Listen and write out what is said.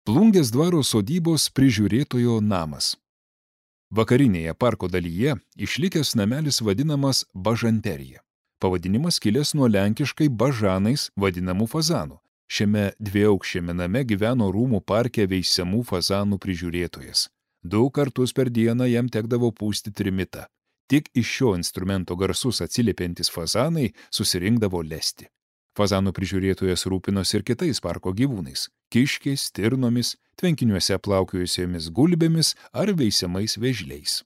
Plungės dvaro sodybos prižiūrėtojo namas. Vakarinėje parko dalyje išlikęs namelis vadinamas Bažanterija. Pavadinimas kilęs nuo lenkiškai bažanais vadinamų fazanų. Šiame dviaukščiame name gyveno rūmų parke veisiamų fazanų prižiūrėtojas. 2 kartus per dieną jam tekdavo pūsti trimitą. Tik iš šio instrumento garsus atsiliepiantys fazanai susirinkdavo lesti. Fazanų prižiūrėtojas rūpinosi ir kitais parko gyvūnais – kiškiais, stirnomis, tvenkiniuose plaukiojusiomis gulbėmis ar veisiamais vėžliais.